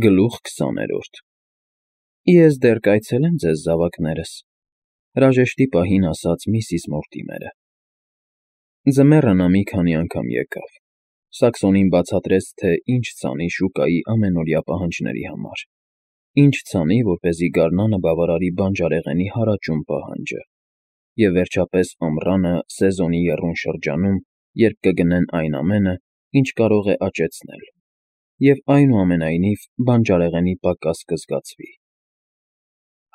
Գլուխ 20-րդ Ես դեռ կայցելեմ ձեզ զավակներս, հրաժեշտի պահին ասաց միսիս Մորտիմերը։ Ձմեռը նա մի քանի անգամ եկավ, Սաքսոնին բացատրեց, թե ինչ ցանի շուկայի ամենօրյա պահանջների համար, ինչ ցանի, որպեսզի գարնանը բավարարի բանջարեղենի հարաճուն պահանջը, և վերջապես ամռանը սեզոնի եռուն շրջանում, երբ կգնեն այն ամենը, ինչ կարող է աճեցնել, և այնուամենայնիվ բանջարեղենի պակաս կզգացվի։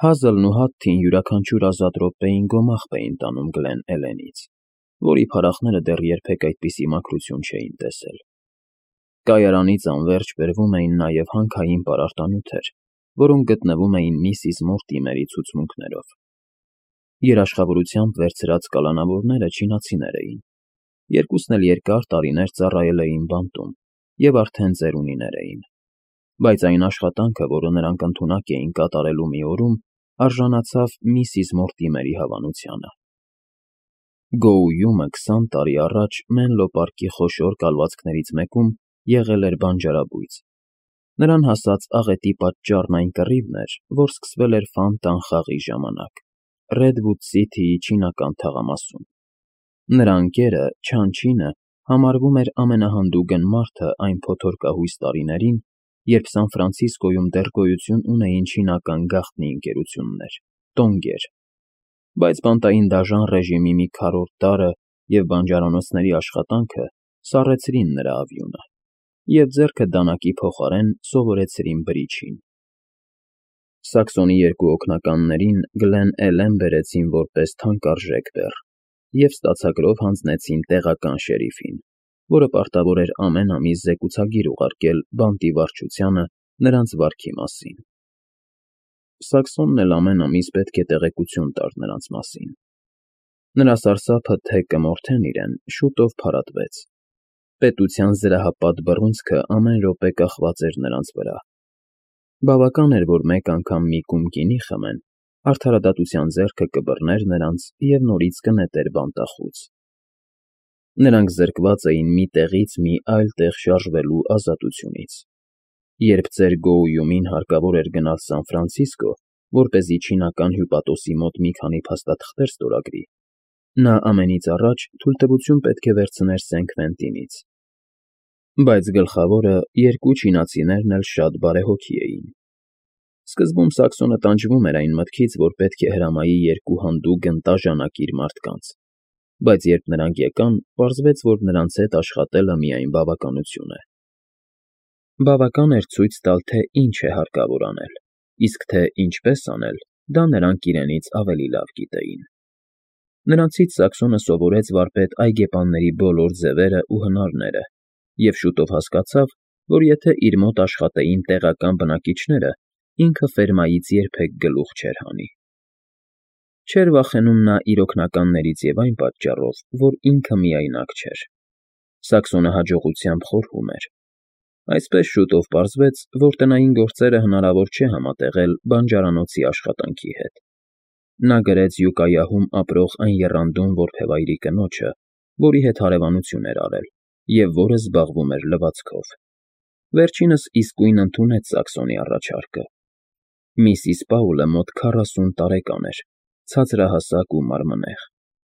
Հազլն ու Հադթին յուրաքանչյուր ազատ րոպեին գոմաղբ էին տանում Գլեն Էլենից, որի փառախները դեռ երբեք այդպիսի մաքրություն չէին տեսել։ Կայարանից անվերջ բերվում էին նաև հանքային պարարտանյութեր, որոնք գտնվում էին միսիս Մորտիմերի ցուցմունքներով։ Երաշխավորությամբ վերցրած կալանավորները չինացիներ էին, երկուսն էլ երկար տարիներ ծառայել էին բանտում և արդեն ծերունիներ էին, բայց այն աշխատանքը, որը նրանք ընդունակ էին կատարելու մի օրում, արժանացավ միսիս Մորտիմերի հավանությանը։ Գոույումը 20 տարի առաջ Մենլո պարկի խոշոր կալվածքներից մեկում եղել էր բանջարաբույծ։ Նրան հասած աղետի պատճառն այն կռիվն էր, որ սկսվել էր Ֆանտան խաղի ժամանակ, Ռեդվուդ Սիթիի չինական թաղամասում։ Նրա ընկերը՝ Չանչինը, համարվում էր ամենահանդուգն մարդը այն փոթորկահույս տարիներին, երբ Սան Ֆրանցիսկոյում դեռ գոյություն ունեին չինական գաղտնի ընկերություններ՝ տոնգեր, բայց բանտային դաժան ռեժիմի մի քառորդ տարը և բանջարանոցների աշխատանքը սառեցրին նրա արյունը, և ձեռքը դանակի փոխարեն սովորեցրին բրիչին։ Սաքսոնի երկու օգնականներին Գլեն Էլեն բերեցին որպես թանկարժեք բեռ և ստացագրով հանձնեցին տեղական շերիֆին, որը պարտավոր էր ամեն ամիս զեկուցագիր ուղարկել բանտի վարչությանը նրանց վարքի մասին։ Սաքսոնն էլ ամեն ամիս պետք է տեղեկություն տար նրանց մասին։ Նրա սարսափը, թե կմորթեն իրեն, շուտով փարատվեց։ Պետության զրահապատ բռունցքը ամեն րոպե կախված էր նրանց վրա։ Բավական էր, որ մեկ անգամ մի կում գինի խմեն, արդարադատության ձեռքը կբռներ նրանց և նորից կնետեր բանտախուց։ Նրանք զրկված էին մի տեղից մի այլ տեղ շարժվելու ազատությունից։ Երբ ծեր Գոույումին հարկավոր էր գնալ Սան Ֆրանցիսկո, որպեսզի չինական հյուպատոսի մոտ մի քանի փաստաթղթեր ստորագրի, նա ամենից առաջ թույլտվություն պետք է վերցներ Սեն-Քվենտինից։ Բայց գլխավորը երկու չինացիներն էլ շատ բարեհոգի էին։ Սկզբում Սաքսոնը տանջվում էր այն մտքից, որ պետք է հրամայի երկու հանդուգն տաժանակիր մարդկանց, բայց երբ նրանք եկան, պարզվեց, որ նրանց հետ աշխատելը միայն բավականություն է։ Բավական էր ցույց տալ, թե ինչ է հարկավոր անել, իսկ թե ինչպես անել, դա նրանք իրենից ավելի լավ գիտեին։ Նրանցից Սաքսոնը սովորեց վարպետ այգեպանների բոլոր ձևերը ու հնարները և շուտով հասկացավ, որ եթե իր մոտ աշխատեին տեղական բնակիչները, ինքը ֆերմայից երբեք գլուխ չէր հանի։ Չէր վախենում նա իր օգնականներից և այն պատճառով, որ ինքը միայնակ չէր։ Սաքսոնը հաջողությամբ խորհում էր։ Այսպես շուտով պարզվեց, որ տնային գործերը հնարավոր չէ համատեղել բանջարանոցի աշխատանքի հետ։ Նա գրեց Յուկայահում ապրող այն եռանդուն որբևայրի կնոջը, որի հետ հարևանություն էր արել և որը զբաղվում էր լվացքով։ Վերջինս իսկույն ընդունեց Սաքսոնի առաջարկը։ Միսիս Պաուլը մոտ 40 տարեկան էր, ցածրահասակ ու մարմնեղ,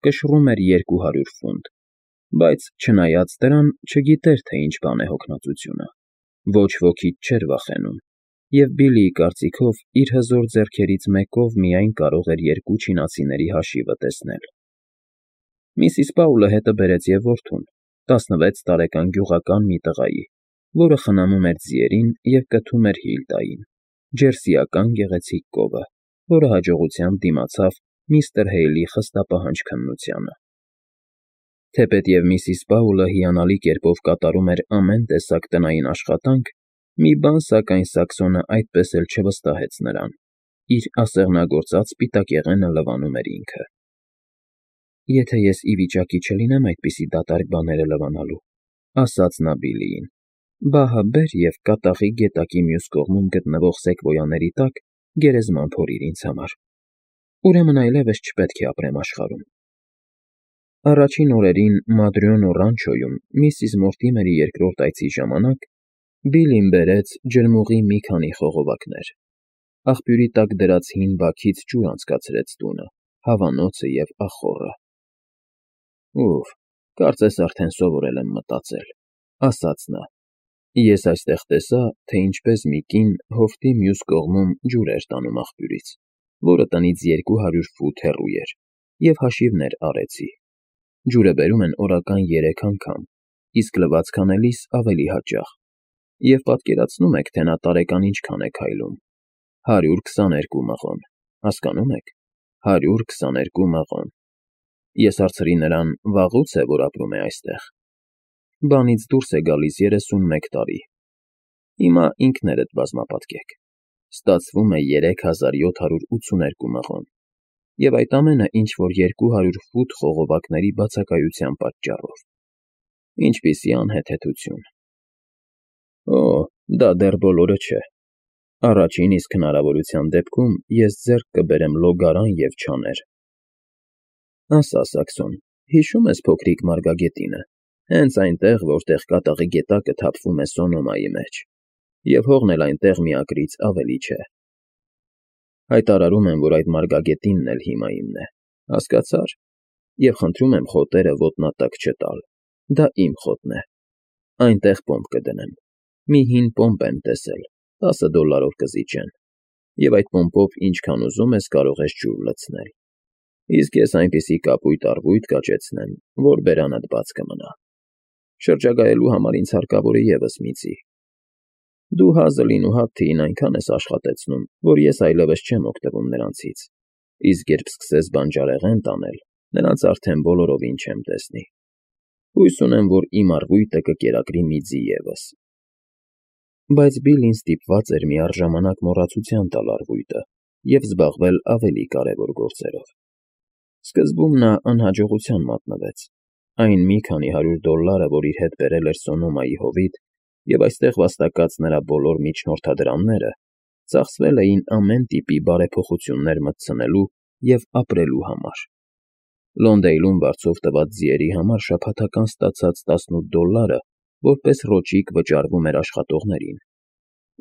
կշռում էր 200 ֆունտ, բայց, չնայած դրան, չգիտեր, թե ինչ բան է հոգնածությունը, ոչ ոքից չէր վախենում, և Բիլիի կարծիքով իր հզոր ձեռքերից մեկով միայն կարող էր երկու չինացիների հաշիվը տեսնել։ Միսիս Պաուլը հետը բերեց և որդուն, 16 տարեկան գյուղական մի տղայի, որը խնամում էր ձիերին և կթում էր Հիլդային, ջերսիական գեղեցիկ կովը, որը հաջողությամբ դիմացավ միստր Հեյլի խստապահանջ քննությանը։ Թեպետև Միսիս Պաուլը հիանալի կերպով կատարում էր ամեն տեսակ տնային աշխատանք, մի բան, սակայն, Սաքսոնը այդպես էլ չվստահեց նրան. իր ասեղնագործած սպիտակեղենը լվանում էր ինքը։ «Եթե ես ի վիճակի չլինեմ այդպիսի դատարկ բաները լվանալու,֊ ասաց նա Բիլիին,֊ բահը բեր և կատաղի գետակի մյուս կողմում գտնվող սեկվոյաների տակ գերեզման փորիր ինձ համար, ուրեմն այլևս չպետք է ապրեմ աշխարհում»։ Առաջին օրերին Մադրյոնո Ռանչոյում միսիս Մորտիմերի երկրորդ այցի ժամանակ Բիլին բերեց ջրմուղի մի քանի խողովակներ, աղբյուրի տակ դրած հին բաքից ջուր անցկացրեց տունը, հավանոցը և ախոռը։ Ուֆ, կարծես արդեն սովորել եմ մտածել, ասաց նա։ Ես այստեղ տեսա, թե ինչպես մի կին հովտի մյուս կողմում ջուր էր տանում աղբյուրից, որը տնից 200 ֆուտ հեռու էր, և հաշիվներ արեցի։ Ջուրը բերում են օրական 3 անգամ, իսկ լվացք անելիս ավելի հաճախ։ Եվ պատկերացնու՞մ եք, թե նա տարեկան ինչքան է քայլում։ 122 մղոն, հասկանո՞ւմ եք, 122 մղոն։ Ես հարցրի նրան, վաղուց է, որ ապրում է այստեղ։ Բանից դուրս է գալիս 31 տարի։ Հիմա ինքներդ բազմապատկեք։ Ստացվում է 3782 մղոն։ Եվ այդ ամենը ինչ-որ 200 ֆուտ խողովակների բացակայության պատճառով։ Ինչպիսի անհեթեթություն։ Օ, դա դեռ բոլորը չէ։ Առաջին իսկ հնարավորության դեպքում ես ձեռք կբերեմ լոգարան և չաներ։ Ասա, Սաքսոն, հիշո՞ւմ ես փոքրիկ մարգագետինը, հենց այնտեղ, որտեղ կատաղի գետակը թափվում է Սոնոմայի մեջ, և հողն էլ այնտեղ միակրից ավելի չէ։ Հայտարարում եմ, որ այդ մարգագետինն էլ հիմա իմն է, հասկացա՞ր, և խնդրում եմ խոտերը ոտնատակ չտալ, դա իմ խոտն է։ Այնտեղ պոմպ կդնեմ։ Մի հին պոմպ եմ տեսել, $10 կզիջեն, և այդ պոմպով ինչքան ուզում ես կարող ես ջուր լցնել։ Իսկ ես այնպիսի կապույտ առվույտ կաճեցնեմ, որ բերանդ բաց կմնա։ Շրջագայելու համար ինձ հարկավոր է ևս մի ծի։ Դու Հազլին ու Հաթթիին այնքան ես աշխատեցնում, որ ես այլևս չեմ օգտվում նրանցից, իսկ երբ սկսես բանջարեղեն տանել, նրանց արդեն բոլորովին չեմ տեսնի։ Հույս ունեմ, որ իմ առվույտը կկերակրի մի ձի ևս։ Բայց Բիլին ստիպված էր միառժամանակ մոռացության տալ առվույտը և զբաղվել ավելի կարևոր գործերով։ Սկզբում նա անհաջողության մատնվեց։ Այն մի քանի $100, որ իր հետ բերել էր Սոնոմայի հովիտ, և այստեղ վաստակած նրա բոլոր միջնորդադրամները, ծախսվել էին ամեն տիպի բարեփոխություններ մտցնելու և ապրելու համար։ Լոնդեյլում վարձով տված ձիերի համար շաբաթական ստացած $18 որպես ռոճիկ վճարվում էր աշխատողներին,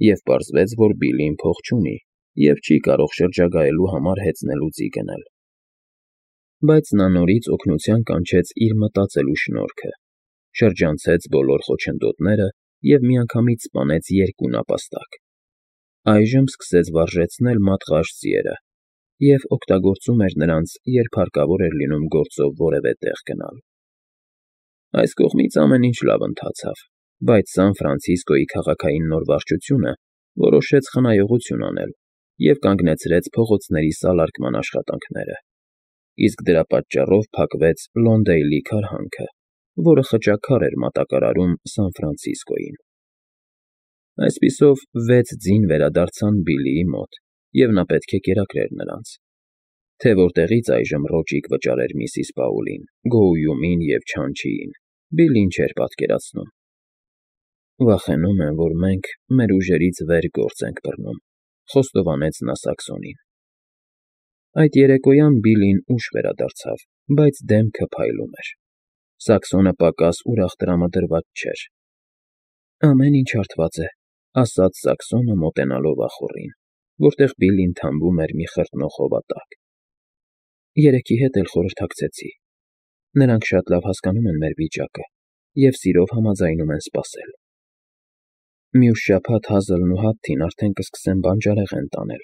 և պարզվեց, որ Բիլին փող չունի և չի կարող շրջագայելու համար հեծնելու ձի գնել։ Բայց նա նորից օգնության կանչեց իր մտածելու շնորհքը, շրջանցեց բոլոր խոչընդոտները և միանգամից սպանեց 2 նապաստակ։ Այժմ սկսեց վարժեցնել մատղաշ ձիերը և օգտագործում էր նրանց, երբ հարկավոր էր լինում գործով որևէ տեղ գնալ։ Այս կողմից ամեն ինչ լավ ընթացավ, բայց Սան Ֆրանցիսկոյի քաղաքային նոր վարչությունը որոշեց խնայողություն անել և կանգնեցրեց փողոցների սալարկման աշխատանքները, իսկ դրա պատճառով փակվեց Լոնդեյլի քարհանքը, որը խճաքար էր մատակարարում Սան Ֆրանցիսկոյին։ Այսպիսով 6 ձին վերադարձան Բիլիի մոտ, և նա պետք է կերակրեր նրանց։ Թե որտեղից այժմ ռոճիկ վճարեր միսիս Պաուլին, Գոույումին և Չանչիին, Բիլին չէր պատկերացնում։ Վախենում եմ, որ մենք մեր ուժերից վեր գործ ենք բռնում, խոստովանեց նա Սաքսոնին։ Այդ երեկոյան Բիլին ուշ վերադարձավ, բայց դեմքը փայլում էր։ Սաքսոնը պակաս ուրախ տրամադրված չէր։ Ամեն ինչ հարթված է, ասաց Սաքսոնը մոտենալով ախոռին, որտեղ Բիլին թամբում էր մի խրտնող հովատակ։ Երեքի հետ էլ խորհրդակցեցի։ Նրանք շատ լավ հասկանում են մեր վիճակը և սիրով համաձայնում են սպասել։ Մյուս շաբաթ Հազլն ու Հաթթին արդեն կսկսեն բանջարեղեն տանել։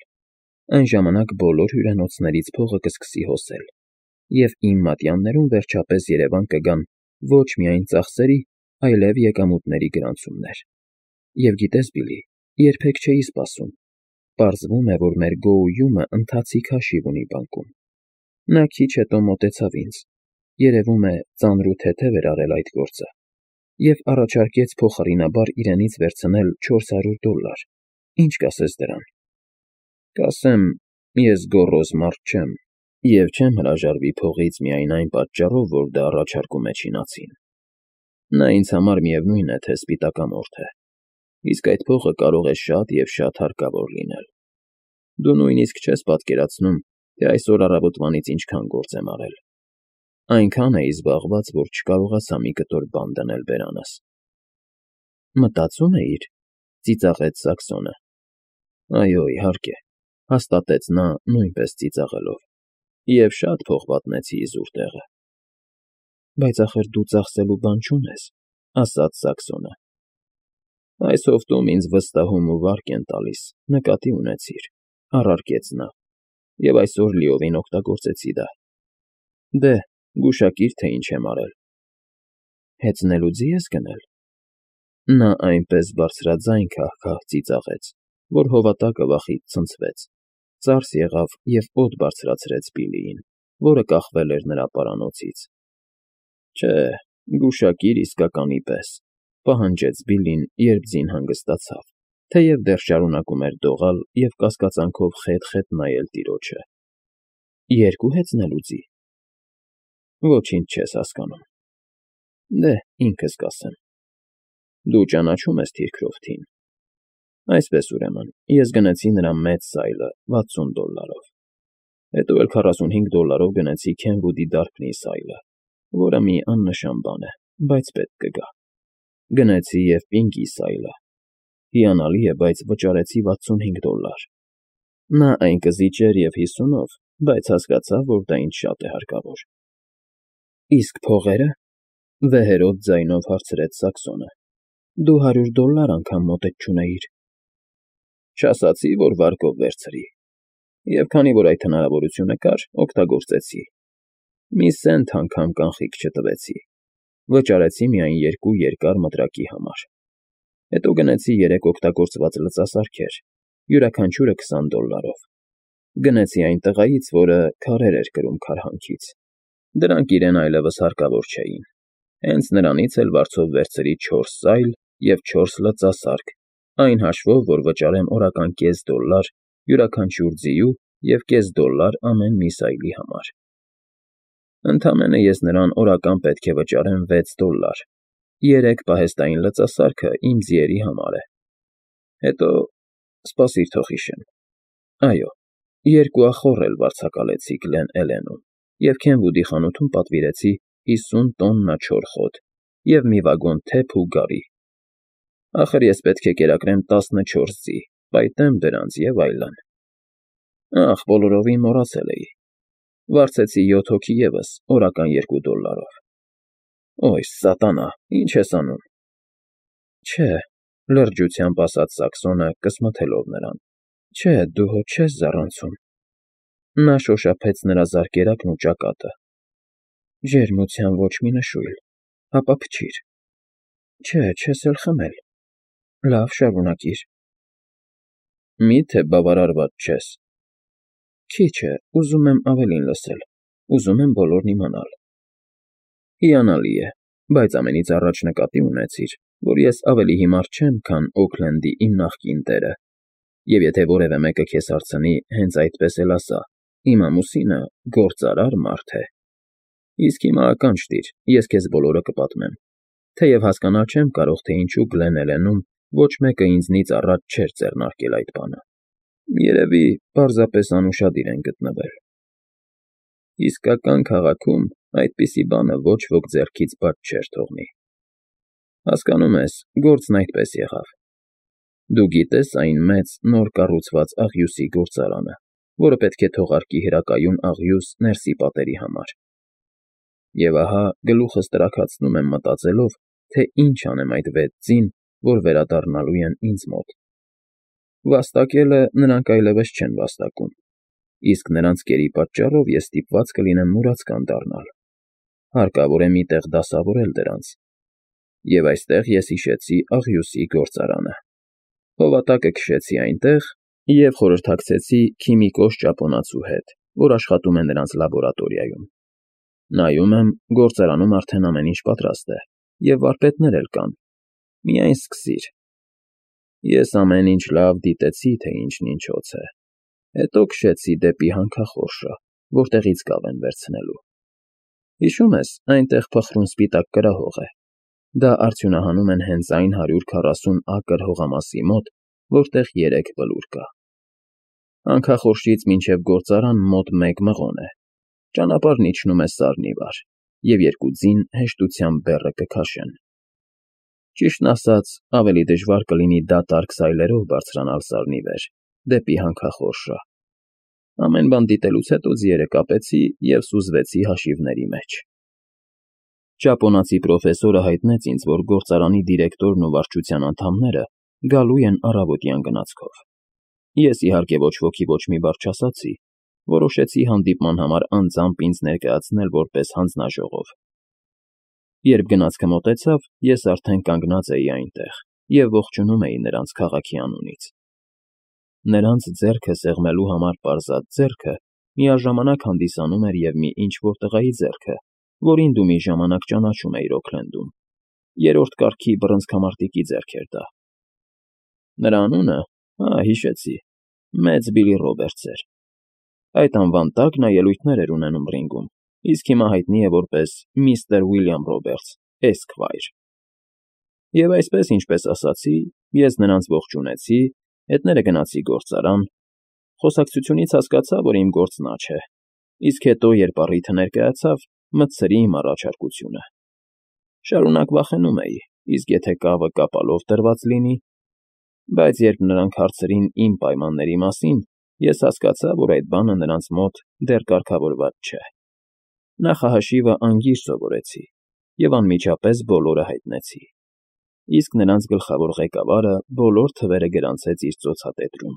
Այն ժամանակ բոլոր հյուրանոցներից փողը կսկսի հոսել, և իմ մատյաններում վերջապես երևան կգան ոչ միայն ծախսերի, այլև եկամուտների գրանցումներ։ Եվ գիտես, Բիլի, երբեք չէի սպասում։ Պարզվում է, որ մեր Գոույումը ընթացիկ հաշիվ ունի բանկում։ Նա քիչ հետո մոտեցավ ինձ, երևում է ծանր ու թեթև էր արել այդ գործը, և առաջարկեց փոխարինաբար իրենից վերցնել $400։ Ինչ կասես դրան։ Կասեմ, ես գոռոզ մարդ չեմ, և չեմ հրաժարվի փողից միայն այն պատճառով, որ դա առաջարկում է չինացին։ Նա ինձ համար միևնույն է, թե սպիտակամորթ է, իսկ այդ փողը կարող է շատ և շատ հարկավոր լինել։ Դու նույնիսկ չես պատկերացնում, թե այսօր առավոտվանից ինչքան գործ եմ արել։ Այնքան էի զբաղված, որ չկարողացա մի կտոր բան դնել բերանս։ Մտածում էիր, ծիծաղեց Սաքսոնը։ Այո, իհարկե, հաստատեց նա նույնպես ծիծաղելով։ Եվ շատ փող պատմեցի իզուր տեղը։ Բայց ախր դու ծախսելու բան չունես, ասաց Սաքսոնը։ Այս հովտում ինձ վստահում ու վարկ են տալիս, նկատի ունեցիր, առարկեց նա, և այսօր լիովին օգտագործեցի դա։ Դե, գուշակիր, թե ինչ եմ արել։ Հեծնելու ձի ես գնել։ Նա այնպես բարձրաձայն քահ-քահ ծիծաղեց, որ հովատակը վախից ցնցվեց, ծարս եղավ և օդ բարձրացրեց Բիլլիին, որը կախվել էր նրա պարանոցից։ Չէ, գուշակիր իսկականի պես, պահանջեց Բիլլին, երբ ձին հանգստացավ, թեև դեռ շարունակում էր դողալ և կասկածանքով խետ-խետ նայել տիրոջը։ Երկու հեծնելու ձի։ Ոչինչ չես հասկանում։ Դե, ինքս կասեմ։ Դու ճանաչում ես Թիրքրոֆթին։ Այսպես ուրեմն, ես գնեցի նրա մեծ սայլը $60, հետո էլ $45 գնեցի Քենվուդի Դարփնի սայլը, որը մի աննշան բան է, բայց պետք կգա։ Գնեցի և Պինկի սայլը։ Հիանալի է, բայց վճարեցի $65։ Նա այն կզիջեր և 50-ով, բայց հասկացավ, որ դա ինձ շատ է հարկավոր։ Իսկ փողերը, վեհերոտ ձայնով հարցրեց Սաքսոնը։ Դու $100 անգամ մոտդ չունեիր։ Չասացի, որ վարկով վերցրի։ Եվ քանի որ այդ հնարավորությունը կար, օգտագործեցի։ Մի սենթ անգամ կանխիկ չտվեցի։ Վճարեցի միայն 2 երկար մտրակի համար։ Հետո գնեցի 3 օգտագործված լծասարքեր, յուրաքանչյուրը $20։ Գնեցի այն տղայից, որը քարեր էր կրում քարհանքից։ Դրանք իրեն այլևս հարկավոր չէին։ Հենց նրանից էլ վարձով վերցրի 4 սայլ և 4 լծասարք, այն հաշվով, որ վճարեմ օրական $0.5 յուրաքանչյուր ձիու և $0.5 ամեն մի սայլի համար։ Ընդամենը ես նրան օրական պետք է վճարեմ $6։ 3 պահեստային լծասարքը իմ ձիերի համար է։ Հետո, սպասիր թող հիշեմ։ Այո, 2 ախոռ էլ վարձակալեցի Գլեն Էլենում և Քենվուդի խանութում պատվիրեցի 50 տոննա չոր խոտ և մի վագոն թեփ ու գարի։ Ախր ես պետք է կերակրեմ 14 ձի, պայտեմ դրանց և այլն։ Ախ, բոլորովին մոռացել էի։ Վարձեցի 7 հոգի ևս օրական $2։ Օյ, սատանա, ինչ ես անում։ Չէ, լրջությամբ ասաց Սաքսոնը, կսմթելով նրան։ Չէ, դու հո չես զառանցում։ Նա շոշափեց նրա զարկերակն ու ճակատը։ Ջերմության ոչ մի նշույլ, հապա փչիր։ Չէ, չես էլ խմել։ Լավ, շարունակիր։ Մի՞թե բավարարված չես։ Քիչ է, ուզում եմ ավելին լսել, ուզում եմ բոլորն իմանալ։ Հիանալի է, բայց ամենից առաջ նկատի ունեցիր, որ ես ավելի հիմար չեմ, քան Օքլենդի իմ նախկին տերը, և եթե որևէ մեկը քեզ հարցնի, հենց այդպես էլ ասա. իմ ամուսինը գործարար մարդ է։ Իսկ հիմա ականջ տիր, ես քեզ բոլորը կպատմեմ, թեև հասկանալ չեմ կարող, թե ինչու Գլեն Էլենում ոչ մեկը ինձնից առաջ չէր ձեռնարկել այդ բանը։ Երևի պարզապես անուշադիր են գտնվել։ Իսկական քաղաքում այդպիսի բանը ոչ ոք ձեռքից բաց չէր թողնի։ Հասկանում ես, գործն այդպես եղավ։ Դու գիտես այն մեծ, նոր կառուցված աղյուսի գործարանը, որը պետք է թողարկի հրակայուն աղյուս ներսի պատերի համար։ Եվ ահա գլուխս տրաքացնում եմ մտածելով, թե ինչ անեմ այդ 6 ձին, որ վերադառնալու են ինձ մոտ։ Վաստակելը նրանք այլևս չեն վաստակում, իսկ նրանց կերի պատճառով ես ստիպված կլինեմ մուրացկան դառնալ։ Հարկավոր է մի տեղ դասավորել դրանց։ Եվ այստեղ ես հիշեցի աղյուսի գործարանը։ Հովատակը քշեցի այնտեղ և խորհրդակցեցի քիմիկոս ճապոնացու հետ, որ աշխատում է նրանց լաբորատորիայում։ Նայում եմ, գործարանում արդեն ամեն ինչ պատրաստ է, և վարպետներ էլ կան։ Միայն սկսիր։ Ես ամեն ինչ լավ դիտեցի, թե ինչն ինչոց է։ Հետո քշեցի դեպի հանքախորշը, որտեղից կավ են վերցնելու։ Հիշում ես, այնտեղ փխրուն սպիտակ կրահող է։ Դա արդյունահանում են հենց այն 140 ակր հողամասի մոտ, որտեղ 3 բլուր կա։ Հանքախորշից մինչև գործարան մոտ 1 մղոն է։ Ճանապարհն իջնում է Սարն ի վար, և 2 ձին հեշտությամբ բեռը կքաշեն։ Ճիշտն ասած, ավելի դժվար կլինի դատարկ սայլերով բարձրանալ սարնի վեր, դեպի հանքախորշը։ Ամեն բան դիտելուց հետո ձիերը կապեցի և սուզվեցի հաշիվների մեջ։ Ճապոնացի պրոֆեսորը հայտնեց ինձ, որ գործարանի դիրեկտորն ու վարչության անդամները գալու են առավոտյան գնացքով։ Ես, իհարկե, ոչ ոքի ոչ մի բառ չասացի, որոշեցի հանդիպման համար անձամբ ինձ ներկայացնել որպես հանձնաժողով։ Երբ գնացքը մոտեցավ, ես արդեն կանգնած էի այնտեղ և ողջունում էի նրանց քաղաքի անունից։ Նրանց ձեռքը սեղմելու համար պարզած ձեռքը միաժամանակ հանդիսանում էր և մի ինչ-որ տղայի ձեռքը, որին դու մի ժամանակ ճանաչում էիր Օքլենդում, երրորդ կարգի բռնցքամարտիկի ձեռք էր դա։ Նրա անունը, հիշեցի, Մեծ Բիլի Ռոբերտս էր։ Այդ անվան տակ նա ելույթներ էր ունենում ռինգում, իսկ հիմա հայտնի է որպես Միսթր Ուիլյամ Ռոբերտս, Էսքվայր։ Եվ այսպես, ինչպես ասացի, ես նրանց ողջունեցի, հետները գնացի գործարան, խոսակցությունից հասկացա, որ իմ գործն աջ է, իսկ հետո, երբ առիթը ներկայացավ, մտցրի իմ առաջարկությունը։ Շարունակ վախենում էի, իսկ եթե կավը կապալով տրված լինի, բայց երբ նրանք հարցրին իմ պայմանների մասին, ես հասկացա, որ այդ բանը նրանց մոտ դեռ կարգավորված չէ։ Նախահաշիվը անգիր սովորեցի և անմիջապես բոլորը հայտնեցի, իսկ նրանց գլխավոր ղեկավարը բոլոր թվերը գրանցեց իր ծոցատետրում։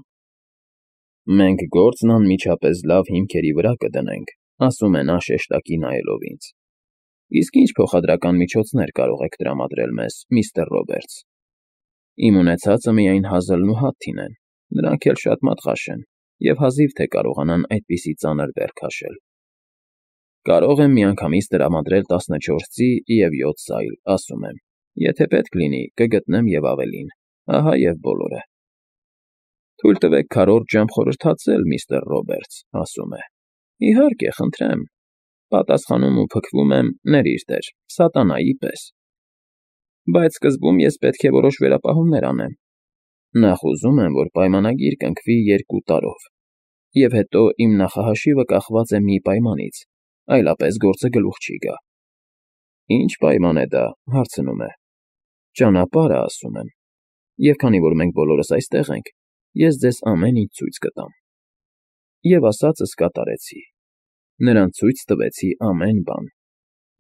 «Մենք գործն անմիջապես լավ հիմքերի վրա կդնենք», ասում է նա շեշտակի նայելով ինձ։ «Իսկ ինչ փոխադրական միջոցներ կարող եք տրամադրել մեզ, միստր Ռոբերտս»։ Իմ ունեցածը միայն հազլն ու հաթին են, նրանք էլ շատ մատղաշ են և հազիվ թե կարողանան այդպիսի ծանր բեռ քաշել։ Կարող եմ միանգամից տրամադրել 14 ձի և 7 սայլ, ասում եմ, եթե պետք լինի, կգտնեմ և ավելին, ահա և բոլորը։ Թույլ տվեք քառորդ ժամ խորհրդացել, միստր Ռոբերտս, ասում է։ Իհարկե, խնդրեմ, պատասխանում ու փքվում եմ, ներիր դեր, սատանայի պես։ Բայց սկզբում ես պետք է որոշ վերապահումներ անեմ։ Նախ ուզում եմ, որ պայմանագիր կնքվի 2 տարով, և հետո իմ նախահաշիվը կախված է մի պայմանից, այլապես գործը գլուխ չի գա։ Ինչ պայման է դա, հարցնում է։ Ճանապարհը, ասում եմ, և քանի որ մենք բոլորս այստեղ ենք, ես ձեզ ամեն ինչ ցույց կտամ։ Եվ ասածս կատարեցի։ Նրանց ցույց տվեցի ամեն բան,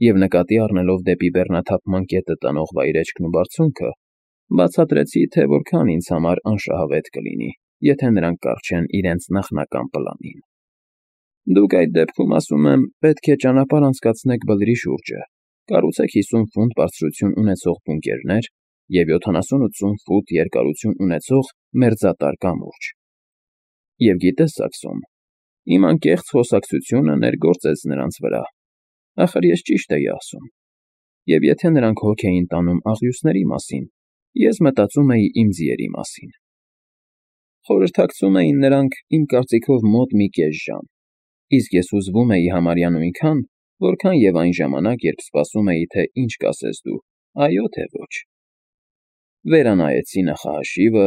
և նկատի առնելով դեպի բեռնաթափման կետը տանող վայրէջքն ու բարձունքը, բացատրեցի, թե որքան ինձ համար անշահավետ կլինի, եթե նրանք կառչեն իրենց նախնական պլանին։ Դուք այդ դեպքում, ասում եմ, պետք է ճանապարհ անցկացնեք բլրի շուրջը, կառուցեք 50 ֆուտ բարձրություն ունեցող բունկերներ և 70-80 ֆուտ երկարություն ունեցող մերձատար կամուրջ։ Եվ գիտես, Սաքսոն, իմ անկեղծ խոսակցությունը ներգործեց նրանց վրա, ախր ես ճիշտ էի ասում, և եթե նրանք հոգ էին տանում աղյուսների մասին, ես մտածում էի իմ ձիերի մասին։ Խորհրդակցում էին նրանք, իմ կարծիքով, մոտ մի կես ժամ, իսկ ես հուզվում էի համարյա նույնքան, որքան և այն ժամանակ, երբ սպասում էի, թե ինչ կասես դու, այո թե ոչ։ Վերանայեցի նախահաշիվը,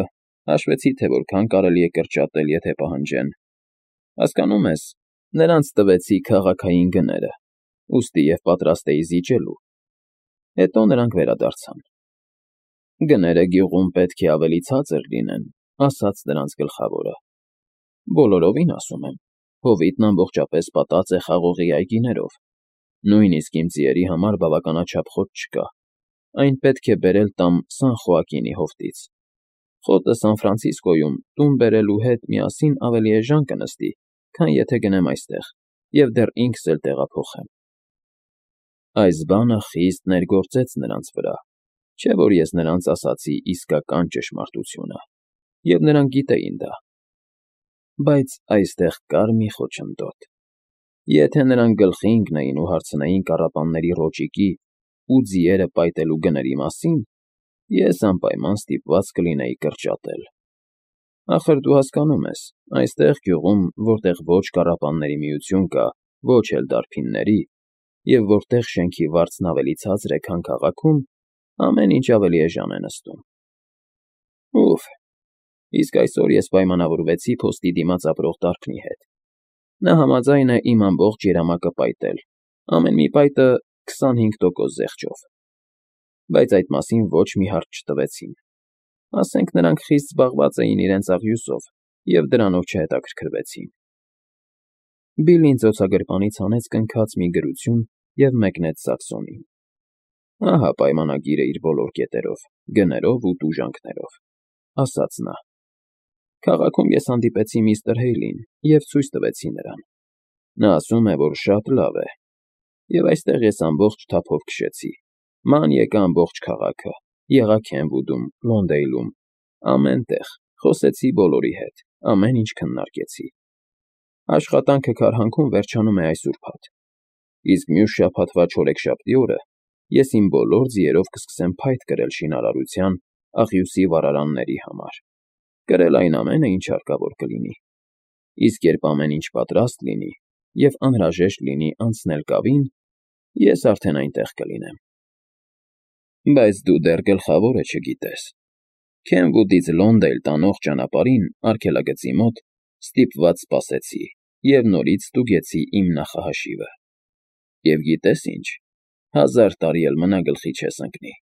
հաշվեցի, թե որքան կարելի է կրճատել, եթե պահանջեն։ Հասկանում ես, նրանց տվեցի քաղաքային գները, ուստի և պատրաստ էի զիջելու։ Հետո նրանք վերադարձան։ Գները գյուղում պետք է ավելի ցածր լինեն, ասաց նրանց գլխավորը։ Բոլորովին, ասում եմ, հովիտն ամբողջապես պատած է խաղողի այգիներով, նույնիսկ իմ ձիերի համար բավականաչափ խոտ չկա, այն պետք է բերել տամ Սան Խոակինի հովտից։ Խոտը Սան Ֆրանցիսկոյում տուն բերելու հետ միասին ավելի էժան կնստի, քան եթե գնեմ այստեղ և դեռ ինքս էլ տեղափոխեմ։ Այս բանը խիստ ներգործեց նրանց վրա, չէ՞ որ ես նրանց ասացի իսկական ճշմարտությունը, և նրանք գիտեին դա։ Բայց այստեղ կար մի խոչընդոտ. եթե նրանք գլխի ընկնեին ու հարցնեին կառապանների ռոճիկի ու ձիերը պայտելու գների մասին, ես անպայման ստիպված կլինեի կրճատել։ Ախր դու հասկանում ես, այստեղ գյուղում, որտեղ ոչ կառապանների միություն կա, ոչ էլ դարբինների, և որտեղ շենքի վարձն ավելի ցածր է, քան քաղաքում, ամեն ինչ ավելի էժան է նստում։ Ուֆ, իսկ այսօր ես պայմանավորվեցի փոստի դիմաց ապրող դարբնի հետ։ Նա համաձայն է իմ ամբողջ երամակը պայտել, ամեն մի պայտը 25% զեղչով։ բայց այդ մասին ոչ մի հարց չտվեցին։ Ասենք նրանք խիստ զբաղված էին իրենց աղյուսով և դրանով չհետաքրքրվեցին։ Բիլլին ծոցագրպանից հանեց կնքած մի գրություն և մեկնեց Սաքսոնին։ Ահա պայմանագիրը իր բոլոր կետերով, գներով ու տուժանքներով, ասաց նա։ Քաղաքում ես հանդիպեցի միստր Հեյլին և ցույց տվեցի նրան։ Նա ասում է, որ շատ լավ է։ Եվ այստեղ ես ամբողջ թափով քշեցի։ Ման եկա ամբողջ քաղաքը, եղա Քենվուդում, Լոնդեյլում, ամեն տեղ, խոսեցի բոլորի հետ, ամեն ինչ քննարկեցի։ Աշխատանքը Քարհանքում վերջանում է այս ուրբաթ, իսկ մյուս շաբաթվա չորեքշաբթի օրը ես իմ բոլոր ձիերով կսկսեմ փայտ կրել շինարարության, աղյուսի վառարանների համար, կրել այն ամենը, ինչ հարկավոր կլինի, իսկ երբ ամեն ինչ պատրաստ լինի և անհրաժեշտ լինի անցնել կավին, ես արդեն այնտեղ կլինեմ։ Բայց դու դեռ գլխավորը չգիտես։ Քենվուդից Լոնդեյլ տանող ճանապարհին արգելագծի մոտ ստիպված սպասեցի և նորից ստուգեցի իմ նախահաշիվը։ Եվ գիտես ինչ, 1000 տարի էլ մնա գլխի չես ընկնի։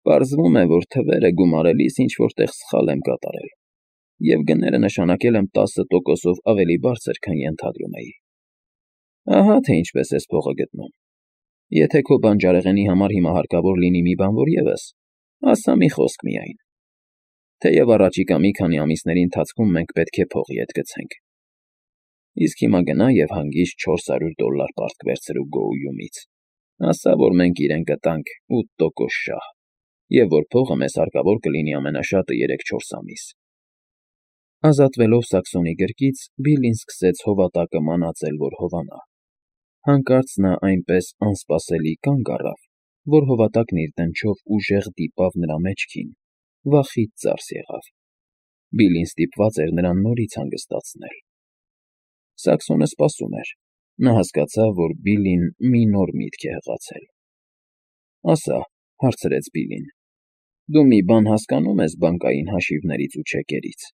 Պարզվում է, որ թվերը գումարելիս ինչ-որ տեղ սխալ եմ կատարել, և գները նշանակել եմ 10%-ով ավելի բարձր, քան ենթադրում էի։ Ահա թե ինչպես ես փողը գտնում։ Եթե քո բանջարեղենի համար հիմա հարկավոր լինի մի բան որ ևս, ասա մի խոսք միայն։ Թեև առաջիկա մի քանի ամիսների ընթացքում մենք պետք է փող ետ գցենք։ Իսկ հիմա գնա և հանգիստ $400 պարտք վերցրու Գոույումից, ասա, որ մենք իրեն կտանք 8% շահ, և որ փողը մեզ հարկավոր կլինի ամենաշատը 3-4 ամիս։ Ազատվելով Սաքսոնի գրկից, Բիլլին սկսեց հովատակը մանածել, որ հովանա։ Հանկարծ նա այնպես անսպասելի կանգ առավ, որ հովատակն իր դնչով ուժեղ դիպավ նրա մեջքին, վախից ծարս եղավ։ Բիլլին ստիպված էր նրան նորից հանգստացնել։ Սաքսոնը սպասում էր։ Նա հասկացավ, որ Բիլլին մի նոր միտք է հղացել։ Ասա, հարցրեց Բիլլին, դու մի բան հասկանո՞ւմ ես բանկային հաշիվներից ու չեկերից։